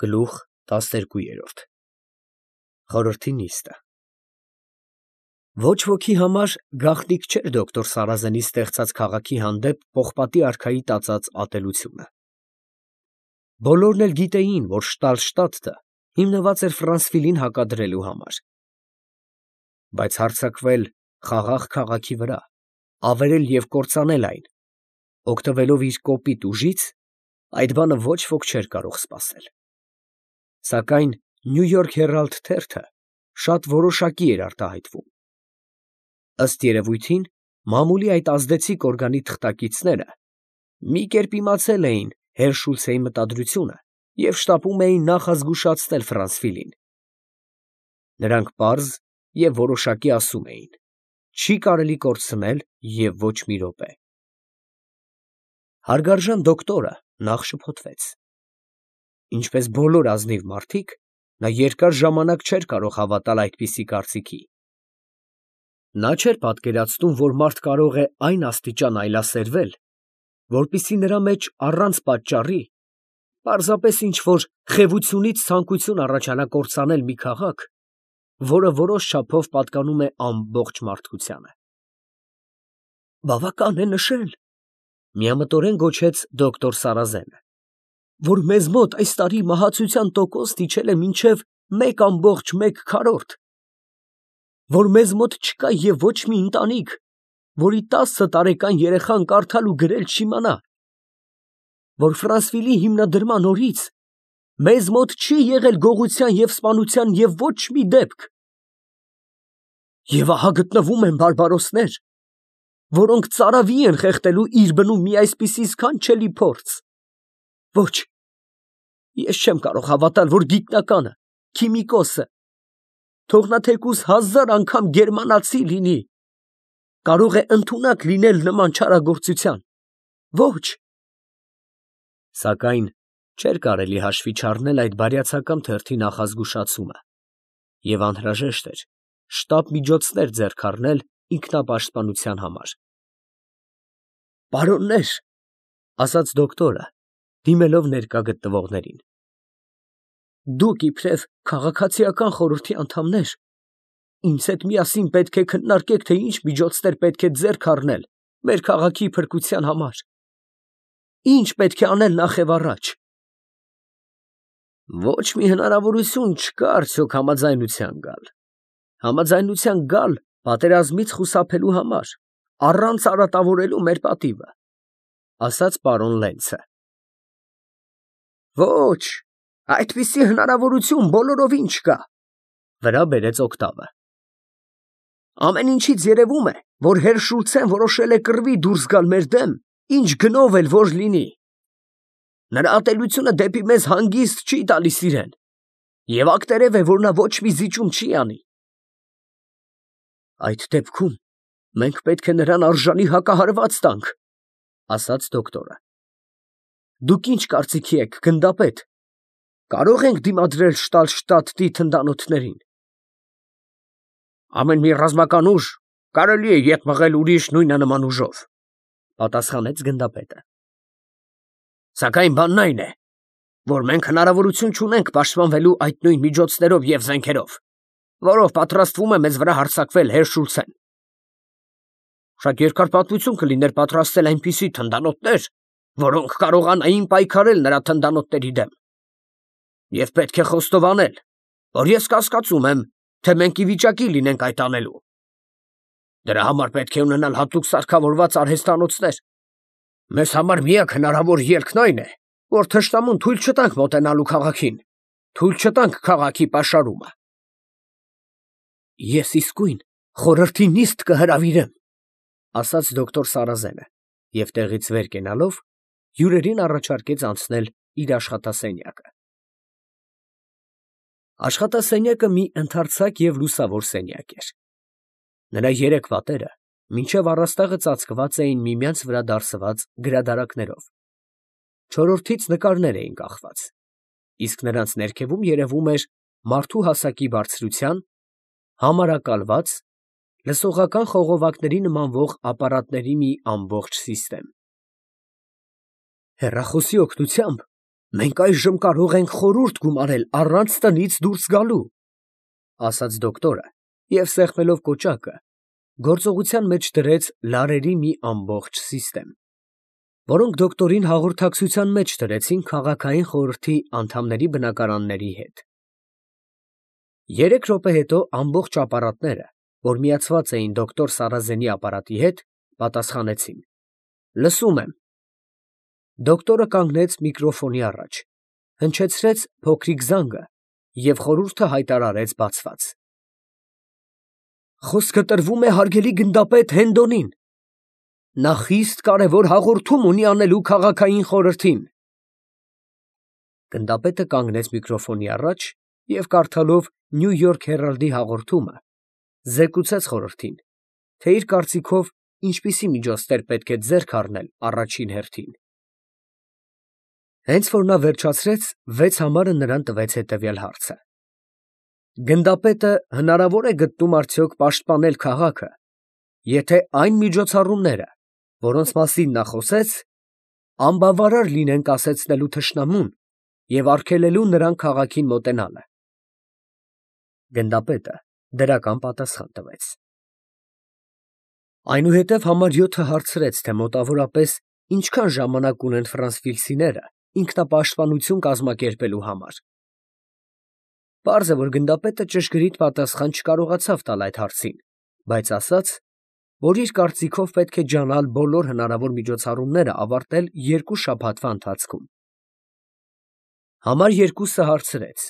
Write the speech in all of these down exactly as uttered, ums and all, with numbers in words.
Գլուխ տասներկու։ Խորհրդի նիստը։ Ոչ ոքի համար գաղտնիք չէր դոկտոր Սարազենի ստեղծած քաղաքի հանդեպ Պողպատի արքայի տածած ատելությունը։ Բոլորն էլ գիտեին, որ Շտալշտադտը հիմնված էր Ֆրանսվիլին հակադրելու համար։ Բայց հարձակվել խաղաղ քաղաքի վրա, ավերել և կործանել այն, օգտվելով իր կոպիտ ուժից, այդ բանը ոչ ոք չէր կարող սպասել։ Սակայն Նյու Յորք Հերալդ թերթը շատ որոշակի էր արտահայտվում։ Ըստ երևույթին, մամուլի այդ ազդեցիկ օրգանի թղթակիցները մի կերպ իմացել էին Հերշուլցեի մտադրությունը և շտապում էին նախազգուշացնել Ֆրանսվիլին։ Նրանք պարզ և որոշակի ասում էին. չի կարելի կորցնել և ոչ մի րոպե։ Հարգարժան դոկտորը նախ շփոթվեց։ Ինչպես բոլոր ազնիվ մարդիկ, նա երկար ժամանակ չէր կարող հավատալ այդպիսի կարծիքի։ Նա չէր պատկերացնում, որ մարդ կարող է այն աստիճան այլասերվել, որպեսզի նրա մեջ առանց պատճառի պարզապես ինչ֊որ խևությունից ցանկություն առաջանա կործանել մի քաղաք, որը որոշ չափով պատկանում է ամբողջ մարդկությանը։ «Բավական է նշել, ֊ միամտորեն գոչեց դոկտոր Սարազենը, ֊ որ մեզ մոտ այս տարի մահացության տոկոսն իջել է մինչև մեկ ամբողջ մեկ քառորդ, որ մեզ մոտ չկա և ոչ մի ընտանիք, որի տասը տարեկան երեխան կարդալ ու գրել չիմանա, որ Ֆրանսվիլի հիմնադրման օրից մեզ մոտ չի եղել գողության և սպանության և ոչ մի դեպք։ Եվ ահա գտնվում են բարբարոսներ, որոնք ծարավի են խեղդելու իր բնում մի այսպիսի սքանչելի փորձ։ Ոչ, ես չեմ կարող հավատալ, որ գիտնականը, քիմիկոսը, թող նա թեկուզ հազար անգամ գերմանացի լինի, կարող է ընդունակ լինել նման չարագործության։ Ոչ…» Սակայն չէր կարելի հաշվի չառնել այդ բարյացակամ թերթի նախազգուշացումը, և անհրաժեշտ էր շտապ միջոցներ ձեռք առնել ինքնապաշտպանության համար։ «Պարոննե՛ր, ֊ ասաց դոկտորը, դիմելով ներկա գտնվողներին, ֊ դուք իբրև քաղաքացիական խորհրդի անդամներ, ինձ հետ միասին պետք է քննարկեք, թե ինչ միջոցներ պետք է ձեռք առնել մեր քաղաքի փրկության համար. ինչ պետք է անել նախևառաջ։ Ոչ մի հնարավորություն չկա արդյոք համաձայնության գալ, համաձայնության գալ պատերազմից խուսափելու համար, առանց արատավորելու մեր պատիվը, ֊ ասաց պարոն Լենցը։ Ոչ, այդպիսի հնարավորություն բոլորովին չկա, ֊ վրա բերեց օկտավը։ Ամեն ինչից երևում է, որ Հերշուլցեն որոշել է կռվի դուրս գալ մեր դեմ, ինչ գնով էլ որ լինի։ Նրա ատելությունը դեպի մեզ հանգիստ չի տալիս իրեն, և ակտերև է, որ նա ոչ մի զիջում չի անի։ Այդ դեպքում մենք պետք է նրան արժանի հակահարված տանք, ֊ ասաց դոկտորը։ Դուք ինչ կարծիքի եք, գնդապետ, կարո՞ղ ենք դիմադրել Շտալշտադտի թնդանոթներին։ Ամեն մի ռազմական ուժ կարելի է ետ մղել ուրիշ նույնանման ուժով, ֊ պատասխանեց գնդապետը։ Սակայն բանն այն է, որ մենք հնարավորություն չունենք պաշտպանվելու այդ նույն միջոցներով և զենքերով, որով պատրաստվում է մեզ վրա հարձակվել Հերշուլցեն։ Շատ երկար պատմություն կլիներ պատրաստել այնպիսի թնդանոթներ, որոնք կարողանային պայքարել նրա թնդանոթների դեմ։ Եվ պետք է խոստովանել, որ ես կասկածում եմ, թե մենք ի վիճակի լինենք այդ անելու։ Դրա համար պետք է ունենալ հատուկ սարքավորված արհեստանոցներ։ Մեզ համար միակ հնարավոր ելքն այն է, որ թշնամուն թույլ չտանք մոտենալու քաղաքին, թույլ չտանք քաղաքի պաշարումը։ Ես իսկույն խորհրդի նիստ կհրավիրեմ, ֊ ասաց դոկտոր Սարազենը և տեղից վեր կենալով հյուրերին առաջարկեց անցնել իր աշխատասենյակը։ Աշխատասենյակը մի ընդարձակ և լուսավոր սենյակ էր։ Նրա երեք պատերը մինչև առաստաղը ծածկված էին միմյանց վրա դարսված գրադարաններով, չորրորդից նկարներ էին կախված, իսկ նրանց ներքևում երևում էր մարդու հասակի բարձրության, համարակալված, լսողական խողովակների նմանվող ապարատների մի ամբողջ սիստեմ։ Հեռախոսի օգնությամբ Մենք այժմ կարող ենք խորհուրդ գումարել առանց տնից դուրս գալու, ասաց դոկտորը և սեղմելով կոճակը, գործողության մեջ դրեց լարերի մի ամբողջ սիստեմ, որոնք դոկտորին հաղորդակցության մեջ դրեցին քաղաքային խորհրդի անդամների բնակարանների հետ։ Երեք րոպե հետո ամբողջ ապարատները, որ միացված էին դոկտոր Սարազենի ապարատի հետ, պատասխանեցին. Լսում եմ։ Դոկտորը կանգնեց միկրոֆոնի առաջ, հնչեցրեց փոքրիկ զանգը և խորհուրդը հայտարարեց բացված։ Խոսքը տրվում է հարգելի գնդապետ Հենդոնին։ Նա խիստ կարևոր հաղորդում ունի անելու քաղաքային խորհրդին։ Գնդապետը կանգնեց միկրոֆոնի առաջ և կարդալով Նյու Յորք Հերալդի հաղորդումը, զեկուցեց խորհրդին, թե իր կարծիքով ինչպիսի միջոցներ պետք է ձեռք առնել առաջին հերթին։ Հենց որ նա վերջացրեց, վեց համարը նրան տվեց հետևյալ հարցը. Գնդապետը հնարավոր է գտնում արդյոք պաշտպանել քաղաքը, եթե այն միջոցառումները, որոնց մասին նա խոսեց, անբավարար լինեն կասեցնելու թշնամուն և արգելելու նրան քաղաքին մոտենալը։ Գնդապետը դրական պատասխան տվեց։ Այնուհետև համար յոթը հարցրեց, թե մոտավորապես ինչքան ժամանակ ունեն ֆրանսվիլսիները ինքնապաշտպանություն կազմակերպելու համար։ Պարզ է, որ գնդապետը ճշգրիտ պատասխան չկարողացավ տալ այդ հարցին, բայց ասաց, որ իր կարծիքով պետք է ջանալ բոլոր հնարավոր միջոցառումները ավարտել երկու շաբաթվա ընթացքում։ Համար երկուսը հարցրեց.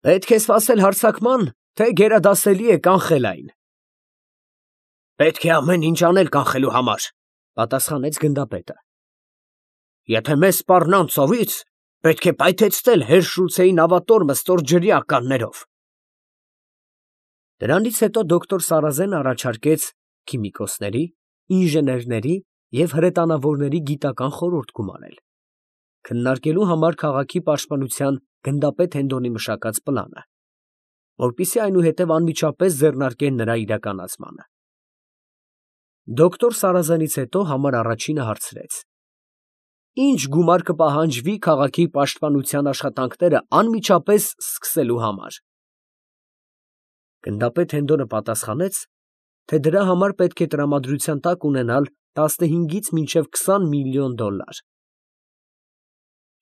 Պետք է սպասել հարձակման, թե գերադասելի է կանխել այն։ Պետք է ամեն ինչ անել կանխելու համար, պատասխանեց գնդապետը։ Եթե մեզ սպառնան ծովից, պետք է պայթեցնել Հերշուլցեի նավատորմը ստորջրյա ականներով։ Դրանից հետո դոկտոր Սարազեն առաջարկեց քիմիկոսների, ինժեներների և հրետանավորների գիտական խորհուրդ գումարել, քննարկելու համար քաղաքի պաշտպանության գնդապետ Հենդոնի մշակած պլանը, որպեսզի այնուհետև անմիջապես ձեռնարկեն նրա իրականացմանը։ Դոկտոր Սարազենից հետո համար առաջինը հարցրեց. Ինչ գումար կպահանջվի քաղաքի պաշտպանության աշխատանքները անմիջապես սկսելու համար։ Գնդապետ Հենդոնը պատասխանեց, թե դրա համար պետք է տրամադրության տակ ունենալ տասնհինգից մինչև քսան միլիոն դոլար։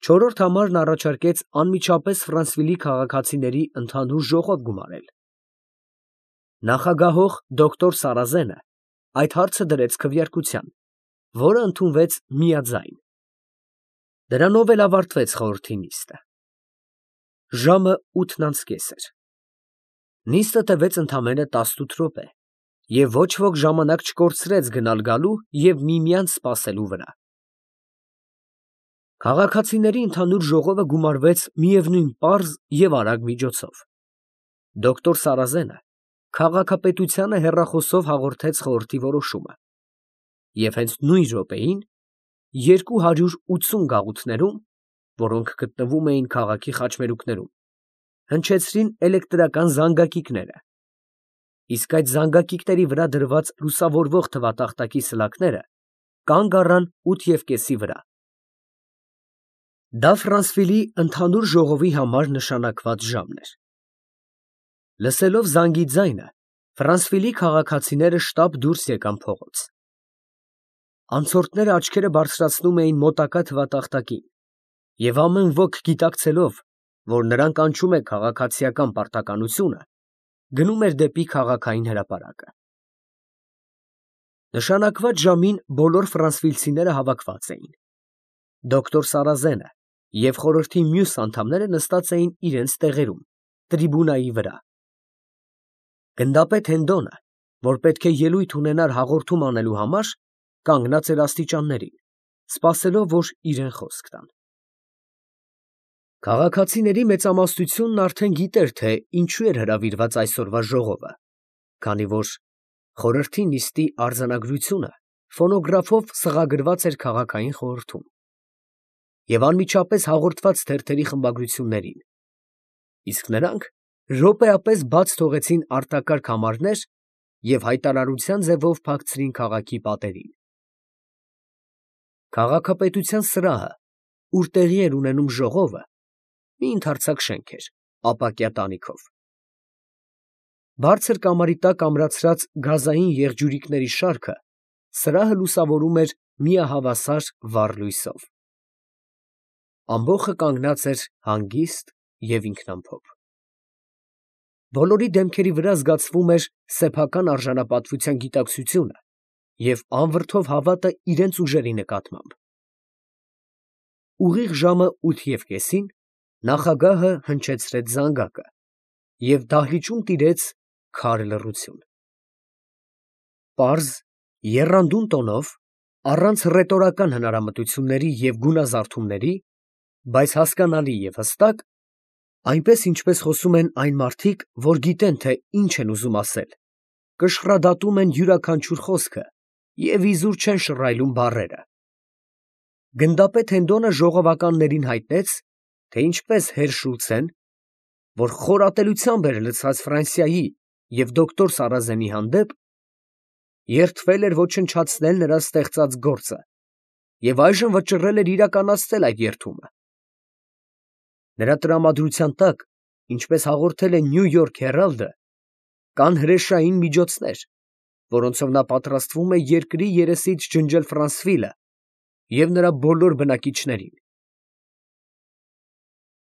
Չորրորդ համարն առաջարկեց անմիջապես Ֆրանսվիլի քաղաքացիների ընդհանուր ժողով գումարել։ Նախագահող դոկտոր Սարազենը այդ հարցը դրեց քվեարկության, որը ընդունվեց միաձայն։ Դրանով էլ ավարտվեց խորհրդի նիստը։ Ժամը ութն անց կես էր։ Նիստը տևեց ընդամենը տասնութ րոպե, և ոչ ոք ժամանակ չկորցրեց գնալ գալու և միմյանց սպասելու վրա։ Քաղաքացիների ընդհանուր ժողովը գումարվեց միևնույն պարզ և արագ միջոցով։ Դոկտոր Սարազենը քաղաքապետությանը հեռախոսով հաղորդեց խորհրդի որոշումը, և հենց նույն րոպեին երկու հարյուր ութսուն գաղութներում, որոնք գտնվում էին քաղաքի խաչմերուկներում, հնչեցրին էլեկտրական զանգակիքները, իսկ այդ զանգակիքների վրա դրված լուսավորվող թվատախտակի սլաքները կանգ առան ութ և կեսի վրա։ Դա Ֆրանսվիլի ընդհանուր ժողովի համար նշանակված ժամն էր։ Լսելով զանգի ձայնը, Ֆրանսվիլի քաղաքացիները շտապ դուրս եկան փողոց։ Անցորդները աչքերը բարձրացնում էին մոտակա թվատախտակին, և ամեն ոք գիտակցելով, որ նրան կանչում է քաղաքացիական պարտականությունը, գնում էր դեպի քաղաքային հրապարակը։ Նշանակված ժամին բոլոր ֆրանսվիլցիները հավաքված էին։ Դոկտոր Սարազենը և խորհրդի մյուս անդամները նստած էին իրենց տեղերում, տրիբունայի վրա։ Գնդապետ Հենդոնը, որ պետք է ելույթ ունենար հաղորդում անելու համար, կանգնած էր աստիճաններին, սպասելով, որ իրեն խոսք տան։ Քաղաքացիների մեծամասնությունն արդեն գիտեր, թե ինչու էր հրավիրված այսօրվա ժողովը, քանի որ խորհրդի նիստի արձանագրությունը ֆոնոգրաֆով սղագրված էր քաղաքային խորհրդում և անմիջապես հաղորդված թերթերի խմբագրություններին, իսկ նրանք րոպեապես բաց թողեցին արտակարգ համարներ և հայտարարության ձևով փակցրին քաղաքի պատերին։ Քաղաքապետության սրահը ուր տեղի էր ունենում ժողովը, մի ընդարձակ շենք էր, ապակյա տանիքով։ Բարձր կամարի տակ ամրացրած գազային եղջյուրիկների շարքը սրահը լուսավորում էր միահավասար վառ լույսով։ Ամբոխը կանգնած էր հանգիստ և ինքնամփոփ։ Բոլորի դեմքերի վրա զգացվում էր սեփական արժանապատվության գիտակցությունը և անվրդով հավատը իրենց ուժերի նկատմամբ։ Ուղիղ ժամը ութ և կեսին նախագահը հնչեցրեց զանգակը և դահլիճում տիրեց քար լռություն։ Պարզ, եռանդուն տոնով, առանց ռետորական հնարամտությունների և գունազարդումների, բայց հասկանալի և հստակ, այնպես ինչպես խոսում են այն մարդիկ, որ գիտեն, թե ինչ են ուզում ասել, կշռադատում են յուրաքանչյուր խոսքը և իզուր չեն շռայլում բառերը, գնդապետ Հենդոնը ժողովականներին հայտնեց, թե ինչպես հեր Շուլցեն, որ խորատելությամբ էր լցված Ֆրանսիայի և դոկտոր Սարազենի հանդեպ, երդվել էր ոչնչացնել նրա ստեղծած գործը և այժմ վճռել էր իրականացնել այդ երդումը։ Նրա տրամադրության տակ, ինչպես հաղորդել է Նյու Յորք Հերալդը, կան հրեշային միջոցներ, որոնցով նա պատրաստվում է երկրի երեսից ջնջել Ֆրանսվիլը և նրա բոլոր բնակիչներին։